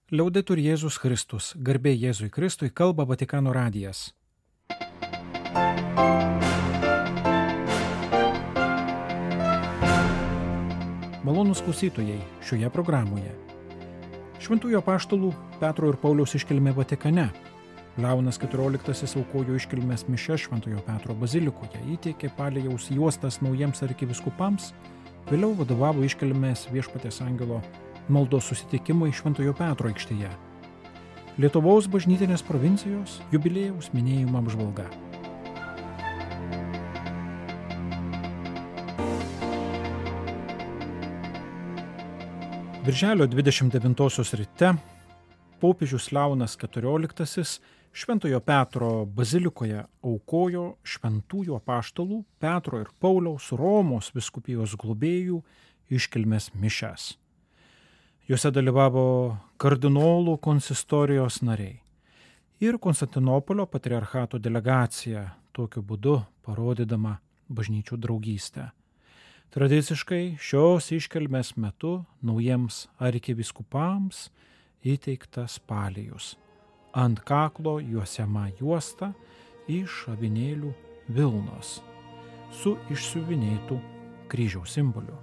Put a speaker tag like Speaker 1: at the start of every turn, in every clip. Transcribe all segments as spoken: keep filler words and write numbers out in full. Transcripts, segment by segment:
Speaker 1: Liaudetur Jėzus Kristus, garbė Jėzui Kristui, kalba Vatikano radijas. Malonūs klausytojai, šioje programoje Šventųjų apaštalų Petro ir Pauliaus iškilmė Vatikane. Leonas keturioliktasis aukojo iškilmės mišias Šventojo Petro bazilikoje, įteikė palėjaus juostas naujiems arkivyskupams, vėliau vadovavo iškilmės Viešpaties angelo maldos susitikimui Šventojo Petro aikštėje. Lietuvos bažnytinės provincijos jubiliejaus minėjimo apžvalga. Birželio dvidešimt devintosios ryte popiežius Leonas keturioliktasis Šventojo Petro bazilikoje aukojo Šventųjų apaštalų Petro ir Pauliaus Romos vyskupijos globėjų iškilmės mišias. Juose dalyvavo kardinolų konsistorijos nariai ir Konstantinopolio patriarchato delegacija, tokiu būdu parodydama bažnyčių draugystę. Tradiciškai šios iškilmės metu naujiems arkivyskupams įteiktas palėjus. Ant kaklo juosiama juosta iš avinėlių vilnos su išsiuvinėtu kryžiaus simboliu.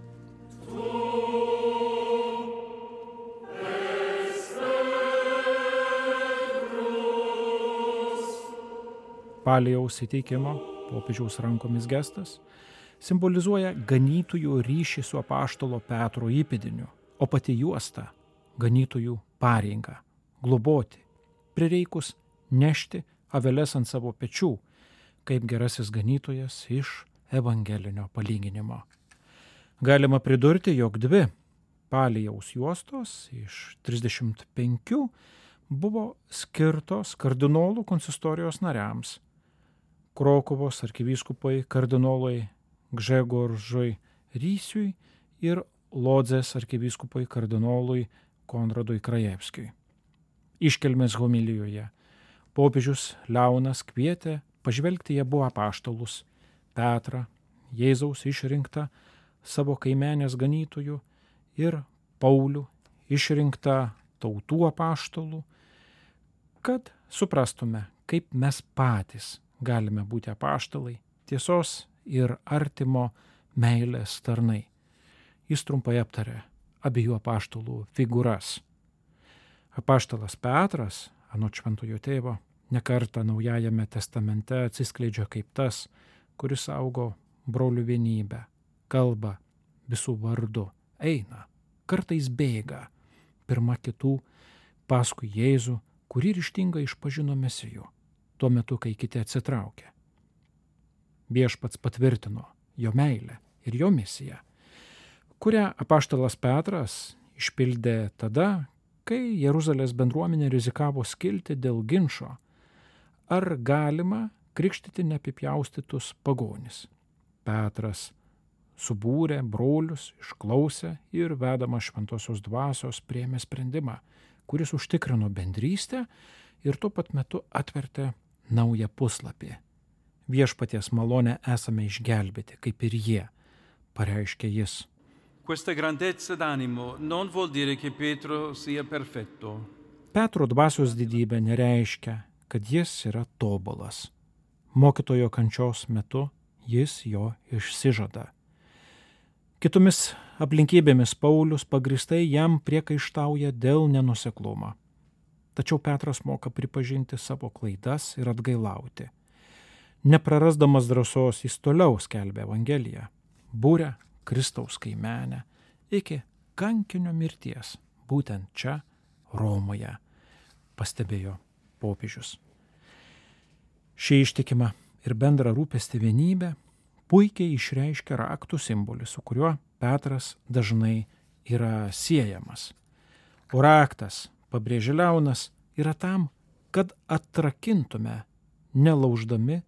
Speaker 1: Palėjaus įteikimo popiežiaus rankomis gestas simbolizuoja ganytojų ryšį su apaštalo Petro įpėdiniu, o pati juosta ganytojų pareigą globoti, prireikus nešti aveles ant savo pečių, kaip gerasis ganytojas iš evangelinio palyginimo. Galima pridurti, jog dvi palėjaus juostos iš trisdešimt penkių buvo skirtos kardinolų konsistorijos nariams. Krokuvos arkivyskupai kardinolai Gžegoržui Rysiui ir Lodzės arkivyskupai kardinolui Konradui Krajevskiui. Iškilmės homilijoje popiežius Leonas kvietė pažvelgti į abu apaštalus Petrą, Jėzaus išrinktą savo kaimenės ganytojų, ir Paulių, išrinktą tautų apaštalų, kad suprastume, kaip mes patys galime būti apaštalai, tiesos ir artimo meilės tarnai. Jis trumpai aptarė abiejų apaštalų figūras. Apaštalas Petras, anot šventojo tėvo, nekartą Naujajame testamente atsiskleidžia kaip tas, kuris saugo brolių vienybę, kalba visų vardu, eina, kartais bėga, pirma kitų, paskui Jėzų, kurį ryžtingai išpažino Mesiju, tuo metu, kai kiti atsitraukė. Viešpats patvirtino jo meilę ir jo misiją, kurią apaštalas Petras išpildė tada, kai Jeruzalės bendruomenė rizikavo skilti dėl ginčo, ar galima krikštyti neapipjaustytus pagonis. Petras subūrė brolius, išklausė ir vedamas šventosios dvasios priėmė sprendimą, kuris užtikrino bendrystę ir tuo pat metu atvertė naują puslapį. Viešpaties malonę esame išgelbėti, kaip ir jie, pareiškė jis.
Speaker 2: Questa grandezza d'animo non vuol dire che Pietro sia perfetto.
Speaker 1: Petro dvasios didybė nereiškia, kad jis yra tobulas. Mokytojo kančios metu jis jo išsižada. Kitomis aplinkybėmis Paulius pagristai jam priekaištauja dėl nenuoseklumo. Tačiau Petras moka pripažinti savo klaidas ir atgailauti. Neprarasdamas drąsos jis toliau skelbia Evangeliją, būrė Kristaus kaimenę iki kankinio mirties, būtent čia, Romoje, pastebėjo popiežius. Ši ištikima ir bendra rūpesti vienybė puikiai išreiškia raktų simbolį, su kuriuo Petras dažnai yra siejamas. O raktas, pabrėžė Leonas, yra tam, kad atrakintume, nelauždami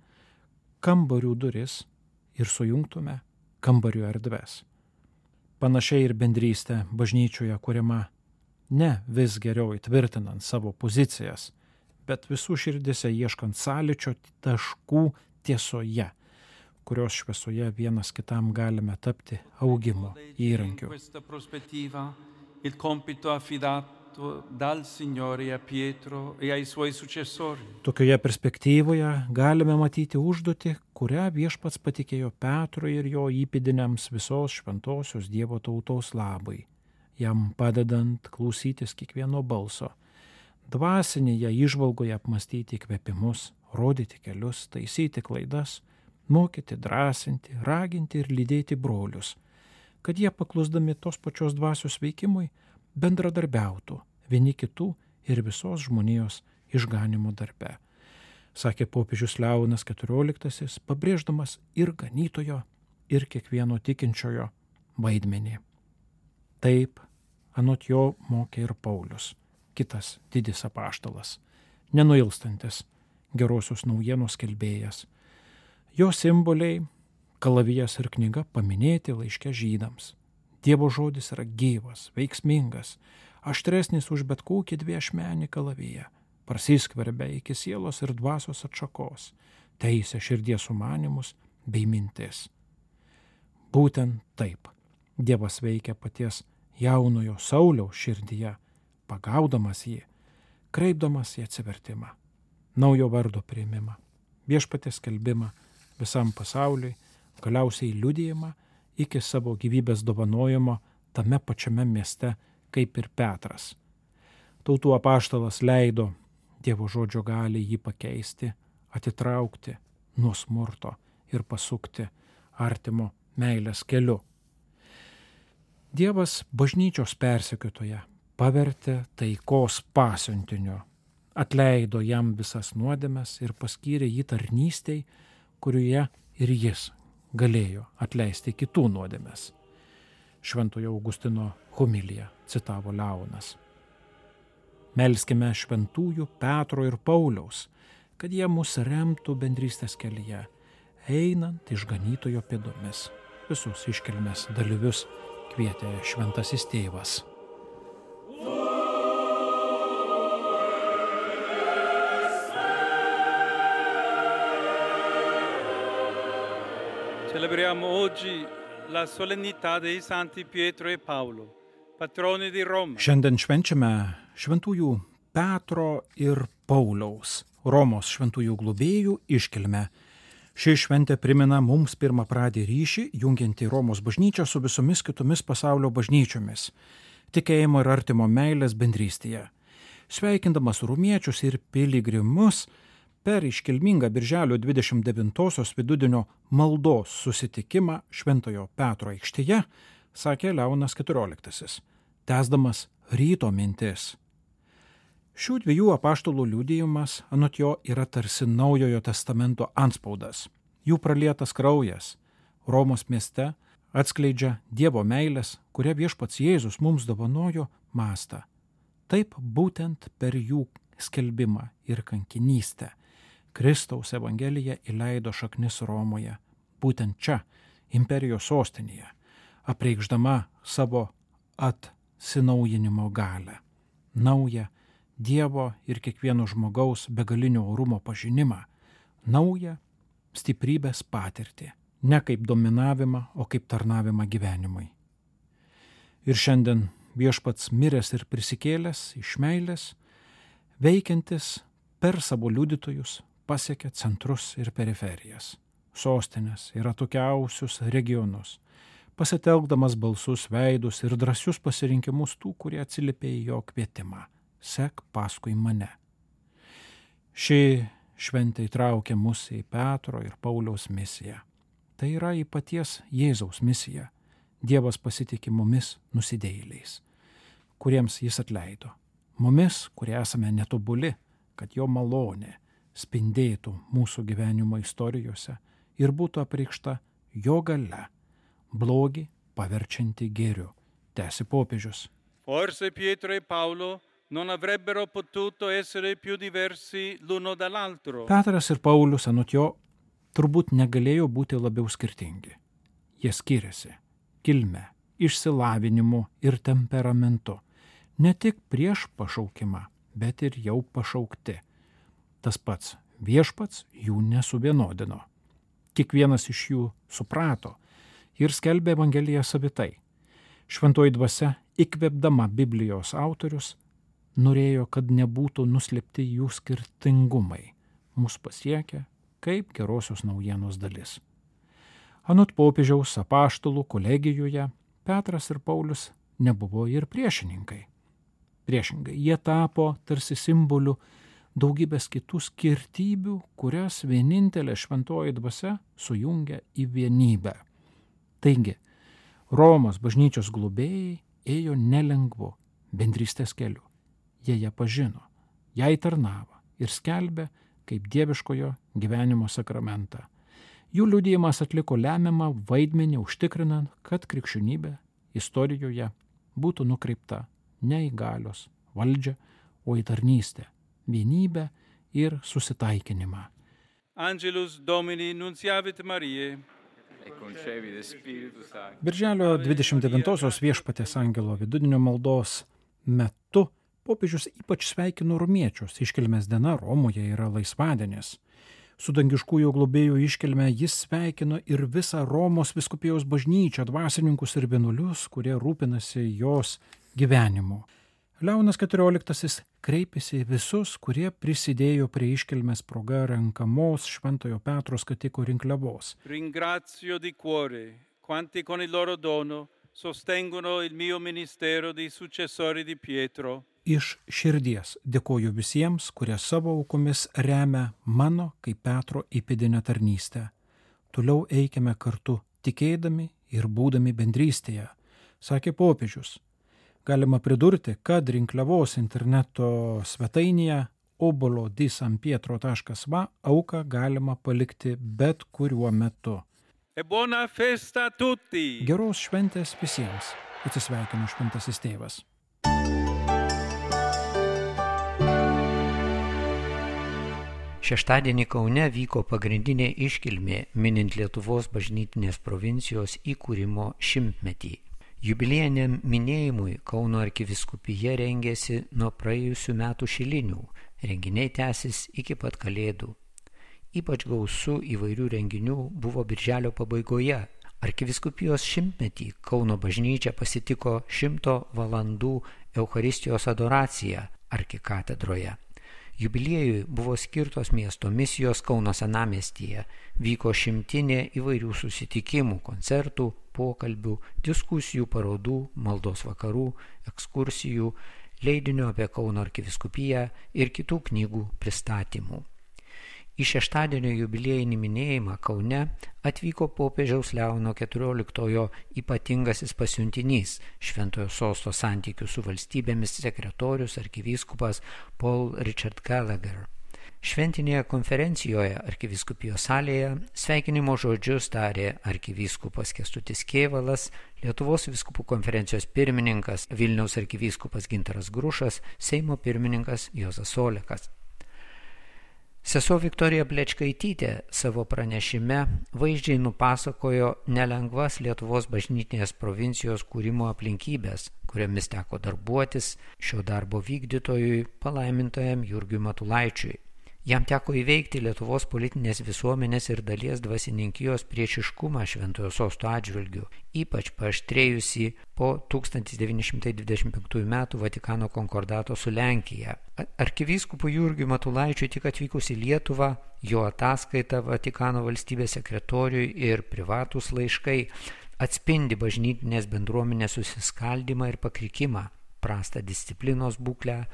Speaker 1: kambarių duris ir sujungtume kambarių erdves. Panašiai ir bendrystė bažnyčioje kuriama ne vis geriau įtvirtinant savo pozicijas, bet visų širdise ieškant sąlyčio taškų tiesoje, kurios šviesoje vienas kitam galime tapti augimo įrankiu.
Speaker 2: Il compito affidato fatto dal Signore a Pietro e ai suoi successori.
Speaker 1: Tokioje perspektyvoje galime matyti užduotį, kurią viešpats patikėjo Petrui ir jo įpėdiniams visos šventosios Dievo tautos labai, jam padedant klausytis kiekvieno balso, dvasinėje įžvalgoje apmastyti įkvėpimus, rodyti kelius, taisyti klaidas, mokyti, drąsinti, raginti ir lydėti brolius, kad jie paklusdami tos pačios dvasios veikimui bendradarbiautų vieni kitų ir visos žmonijos išganimo darbe, sakė popiežius Leonas keturioliktasis, pabrėždamas ir ganytojo, ir kiekvieno tikinčiojo vaidmenį. Taip, anot jo mokė ir Paulius, kitas didis apaštalas, nenuilstantis gerosios naujienos skelbėjas. Jo simboliai, kalavijas ir knyga paminėti laiške žydams. Dievo žodis yra gyvas, veiksmingas, aštresnis už bet kokį dviašmenį kalaviją, prasiskverbia iki sielos ir dvasios atšakos, teisia širdies sumanimus bei mintis. Būtent taip Dievas veikia paties jaunojo Sauliaus širdyje, pagaudamas jį, kreipdamas į atsivertimą, naujo vardo priėmimą, viešpaties skelbimą visam pasauliui, galiausiai liudijimą iki savo gyvybės dovanojimo tame pačiame mieste kaip ir Petras. Tautų apaštalas leido Dievo žodžio gali jį pakeisti, atitraukti nuo smurto ir pasukti artimo meilės keliu. Dievas bažnyčios persekiotoją pavertė taikos pasiuntiniu, atleido jam visas nuodėmes ir paskyrė jį tarnystei, kurioje ir jis galėjo atleisti kitų nuodėmes. Šventojo Augustino homiliją citavo Leonas. Melskime šventųjų Petro ir Pauliaus, kad jie mus remtų bendrystės kelyje, einant išganytojo pėdomis. Visus iškilmės dalyvius kvietė šventasis tėvas.
Speaker 2: Celebriamo oggi la solennità dei santi Pietro e Paolo, patroni di Roma.
Speaker 1: Šiandien švenčiame šventųjų Petro ir Pauliaus, Romos šventųjų globėjų iškilmę. Ši šventė primena mums pirmapradį ryšį, jungiantį Romos bažnyčią su visomis kitomis pasaulio bažnyčiomis, tikėjimo ir artimo meilės bendrystėje. Sveikindamas romiečius ir piligrimus, per iškilmingą birželio dvidešimt devintosios vidudienio maldos susitikimą Šventojo Petro aikštėje, sakė Leonas keturioliktasis, tęsdamas ryto mintis. Šių dviejų apaštalų liudijimas, anot jo, yra tarsi Naujojo testamento antspaudas. Jų pralietas kraujas Romos mieste atskleidžia Dievo meilės, kurią viešpats Jėzus mums dovanojo mastą. Taip būtent per jų skelbimą ir kankinystę Kristaus evangelija įleido šaknis Romoje, būtent čia, imperijos sostinėje, apreikšdama savo atsinaujinimo galią, naują Dievo ir kiekvieno žmogaus begalinio orumo pažinimą, naują stiprybės patirtį, ne kaip dominavimą, o kaip tarnavimą gyvenimui. Ir šiandien viešpats miręs ir prisikėlęs iš meilės, veikiantis per savo liudytojus, pasiekia centrus ir periferijas, sostinės ir atokiausius regionus, pasitelkdamas balsus, veidus ir drąsius pasirinkimus tų, kurie atsiliepė į jo kvietimą. Sek paskui mane. Ši šventė įtraukia mus į Petro ir Pauliaus misiją. Tai yra į paties Jėzaus misiją. Dievas pasitikė mumis nusidėjėliais, kuriems jis atleido. Mumis, kurie esame netobuli, kad jo malonė spindėtų mūsų gyvenimo istorijose ir būtų apreikšta jo galia, blogį paverčianti gėriu, tęsi popiežius.
Speaker 2: Forse Pietro e Paolo non avrebbero potuto essere più diversi l'uno dall'altro.
Speaker 1: Petras ir Paulius, anot jo, turbūt negalėjo būti labiau skirtingi. Jie skiriasi kilme, išsilavinimu ir temperamentu, ne tik prieš pašaukimą, bet ir jau pašaukti. Tas pats viešpats jų nesuvienodino. Kiekvienas iš jų suprato ir skelbė Evangeliją savitai. Šventoji dvasia, įkvėpdama Biblijos autorius, norėjo, kad nebūtų nuslėpti jų skirtingumai, mus pasiekia kaip gerosios naujienos dalis. Anot popiežiaus apaštalų kolegijoje Petras ir Paulius nebuvo ir priešininkai. Priešingai, jie tapo tarsi simboliu daugybės kitų skirtybių, kurias vienintelė šventoji dvasia sujungia į vienybę. Taigi, Romos bažnyčios globėjai ėjo nelengvu bendrystės keliu. Jie ją pažino, jai tarnavo ir skelbė kaip dieviškojo gyvenimo sakramentą. Jų liudijimas atliko lemiamą vaidmenį užtikrinant, kad krikščionybė istorijoje būtų nukreipta ne į galios valdžią, o į tarnystę, vienybę ir susitaikinimą.
Speaker 2: Angelus Domini nunciavit Mariae.
Speaker 1: Birželio dvidešimt devintosios viešpaties angelo vidudienio maldos metu popiežius ypač sveikino romiečius. Iškilmės diena Romoje yra laisvadienis. Su dangiškųjų globėjų iškilme jis sveikino ir visą Romos vyskupijos bažnyčią, dvasininkus ir vienuolius, kurie rūpinasi jos gyvenimu. Leonas keturioliktasis kreipėsi į visus, kurie prisidėjo prie iškilmės proga renkamos Šventojo Petro skatiko rinkliavos.
Speaker 2: Ringrazio di cuore quanti con il loro dono sostengono il mio ministero di successori di Pietro.
Speaker 1: Iš širdies dėkoju visiems, kurie savo aukomis remia mano kaip Petro įpėdinę tarnystę. Toliau eikime kartu, tikėdami ir būdami bendrystėje, sakė popiežius. Galima pridurti, kad rinkliavos interneto svetainėje obolo di san pietro taškas va auką galima palikti bet kuriuo metu.
Speaker 2: E buona festa a tutti!
Speaker 1: Geros šventės visiems, atsisveikino šventasis tėvas.
Speaker 3: Šeštadienį Kaune vyko pagrindinė iškilmė minint Lietuvos bažnytinės provincijos įkūrimo šimtmetį. Jubiliejiniam minėjimui Kauno arkivyskupija rengėsi nuo praėjusių metų šilinių, renginiai tęsis iki pat Kalėdų. Ypač gausu įvairių renginių buvo birželio pabaigoje. Arkivyskupijos šimtmetį Kauno bažnyčia pasitiko šimto valandų Eucharistijos adoraciją arkikatedroje. Jubiliejui buvo skirtos miesto misijos Kauno senamiestyje, vyko šimtinė įvairių susitikimų, koncertų, pokalbių, diskusijų, parodų, maldos vakarų, ekskursijų, leidinio apie Kauno arkivyskupiją ir kitų knygų pristatymų. Į šeštadienio jubiliejinį minėjimą Kaune atvyko popiežiaus Leono keturioliktojo ypatingasis pasiuntinys, Šventojo Sosto santykių su valstybėmis sekretorius arkivyskupas Paul Richard Gallagher. Šventinėje konferencijoje arkivyskupijos salėje sveikinimo žodžius tarė arkivyskupas Kęstutis Kėvalas, Lietuvos vyskupų konferencijos pirmininkas Vilniaus arkivyskupas Gintaras Grušas, Seimo pirmininkas Juozas Olekas. Sesuo Viktorija Plečkaitytė savo pranešime vaizdžiai nupasakojo nelengvas Lietuvos bažnytinės provincijos kūrimo aplinkybės, kuriomis teko darbuotis šio darbo vykdytojui palaimintajam Jurgiui Matulaičiui. Jam teko įveikti Lietuvos politinės visuomenės ir dalies dvasininkijos priešiškumą Šventojo Sosto atžvilgiu, ypač paaštrėjusi po tūkstantis devyni šimtai dvidešimt penktųjų metų Vatikano konkordato su Lenkija. Arkivyskupui Jurgiui Matulaičiui tik atvykus į Lietuvą, jo ataskaita Vatikano valstybės sekretoriui ir privatūs laiškai atspindi bažnytinės bendruomenės susiskaldymą ir pakrikimą, prastą disciplinos būklę,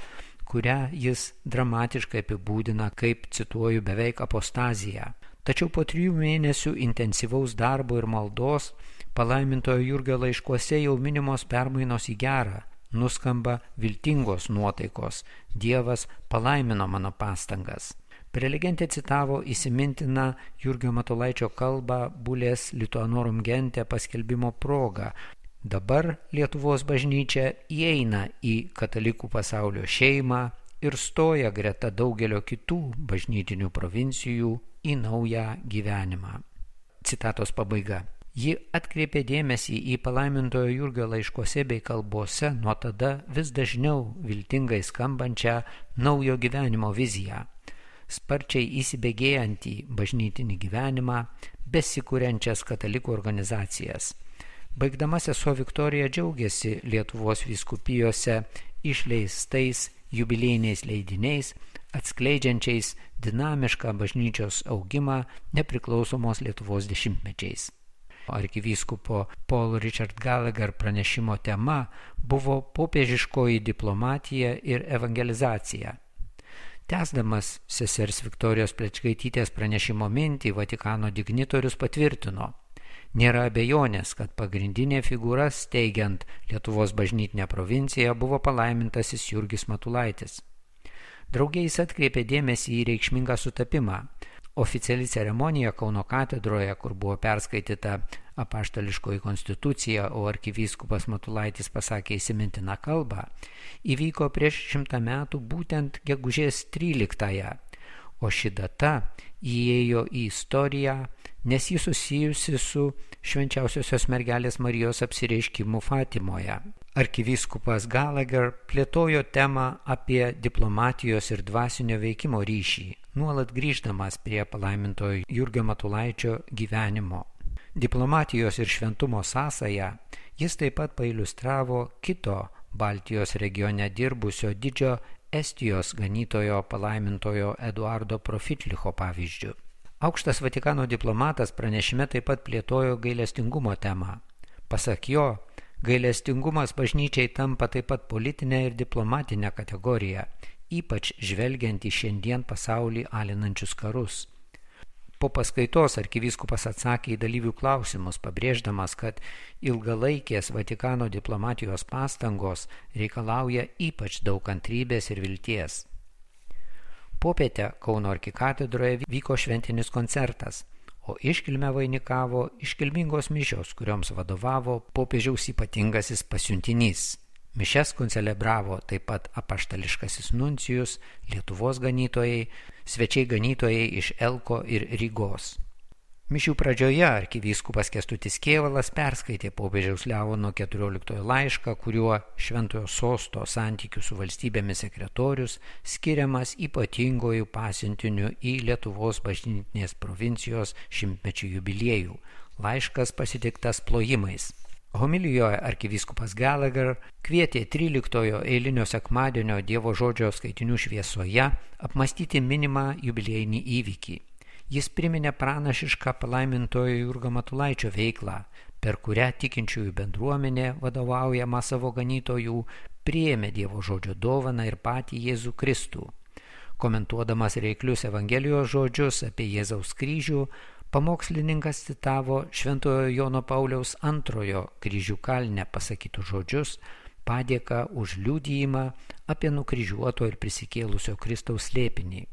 Speaker 3: kurią jis dramatiškai apibūdina kaip, cituoju, beveik apostaziją. Tačiau po trijų mėnesių intensyvaus darbo ir maldos palaimintojo Jurgio laiškuose jau minimos permainos į gerą, nuskamba viltingos nuotaikos. Dievas palaimino mano pastangas. Prelegentė citavo įsimintiną Jurgio Matulaičio kalbą Bulės Lituanorum Gente paskelbimo proga. Dabar Lietuvos bažnyčia įeina į katalikų pasaulio šeimą ir stoja greta daugelio kitų bažnytinių provincijų į naują gyvenimą. Citatos pabaiga. Ji atkreipė dėmesį į palaimintojo Jurgio laiškuose bei kalbose nuo tada vis dažniau viltingai skambančią naujo gyvenimo viziją, sparčiai įsibėgėjantį bažnytinį gyvenimą, besikuriančias katalikų organizacijas. Baigdama sesuo Viktorija džiaugiasi Lietuvos vyskupijose išleistais jubiliejiniais leidiniais, atskleidžiančiais dinamišką bažnyčios augimą nepriklausomos Lietuvos dešimtmečiais. Arkivyskupo Paul Richard Gallagher pranešimo tema buvo popiežiškoji diplomatija ir evangelizacija. Tęsdamas sesers Viktorijos Plečkaitytės pranešimo mintį, Vatikano dignitorius patvirtino: nėra abejonės, kad pagrindinė figūra steigiant Lietuvos bažnytinę provinciją buvo palaimintasis Jurgis Matulaitis. Drauge jis atkreipė dėmesį į reikšmingą sutapimą. Oficiali ceremonija Kauno katedroje, kur buvo perskaityta apaštališkoji konstitucija, o arkivyskupas Matulaitis pasakė įsimintiną kalbą, įvyko prieš šimtą metų būtent gegužės tryliktąją, o ši data įėjo į istoriją, nes ji susijusi su švenčiausiosios mergelės Marijos apsireiškimu Fatimoje. Arkivyskupas Gallagher plėtojo temą apie diplomatijos ir dvasinio veikimo ryšį, nuolat grįždamas prie palaimintojo Jurgio Matulaičio gyvenimo. Diplomatijos ir šventumo sąsają jis taip pat pailiustravo kito Baltijos regione dirbusio didžio Estijos ganytojo palaimintojo Eduardo Profitlicho pavyzdžiu. Aukštas Vatikano diplomatas pranešime taip pat plėtojo gailestingumo temą. Pasak jo, gailestingumas bažnyčiai tampa taip pat politinė ir diplomatinė kategorija, ypač žvelgiant į šiandien pasaulį alinančius karus. Po paskaitos arkivyskupas atsakė į dalyvių klausimus, pabrėždamas, kad ilgalaikės Vatikano diplomatijos pastangos reikalauja ypač daug kantrybės ir vilties. Popietę Kauno arkikatedroje vyko šventinis koncertas, o iškilmę vainikavo iškilmingos mišios, kurioms vadovavo popiežiaus ypatingasis pasiuntinys. Mišias koncelebravo taip pat apaštališkasis nuncijus, Lietuvos ganytojai, svečiai ganytojai iš Elko ir Rygos. Mišių pradžioje arkivyskupas Kęstutis Kėvalas perskaitė popiežiaus Leono keturioliktojo laišką, kuriuo Šventojo Sosto santykių su valstybėmis sekretorius skiriamas ypatingojų pasiuntiniu į Lietuvos bažnytinės provincijos šimtmečių jubiliejų. Laiškas pasitiktas plojimais. Homilijoje arkivyskupas Gallagher kvietė tryliktojo eilinio sekmadienio Dievo žodžio skaitinių šviesoje apmąstyti minimą jubiliejinį įvykį. Jis priminė pranašišką palaimintojo Jurgio Matulaičio veiklą, per kurią tikinčiųjų bendruomenė, vadovaujama savo ganytojų, priėmė Dievo žodžio dovaną ir patį Jėzų Kristų. Komentuodamas reiklius Evangelijos žodžius apie Jėzaus kryžių, pamokslininkas citavo Šventojo Jono Pauliaus antrojo kryžių kalne pasakytus žodžius, padėką už liudijimą apie nukryžiuoto ir prisikėlusio Kristaus slėpinį.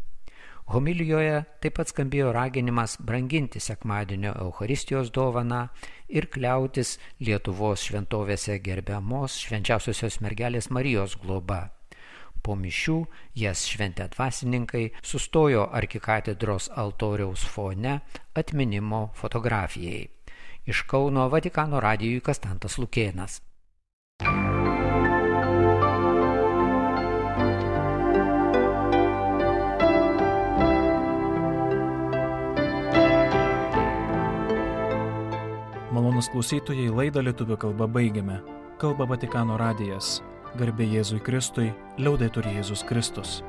Speaker 3: Homilijoje taip pat skambėjo raginimas branginti sekmadienio Eucharistijos dovaną ir kliautis Lietuvos šventovėse gerbiamos švenčiausiosios mergelės Marijos globa. Po mišių jas šventę dvasininkai sustojo arkikatedros altoriaus fone atminimo fotografijai. Iš Kauno Vatikano radijui Kastantas Lukėnas.
Speaker 1: Malonūs klausytojai, laidą lietuvių kalba baigiame. Kalba Vatikano radijas. Garbė Jėzui Kristui, liaudetur Jėzus Kristus.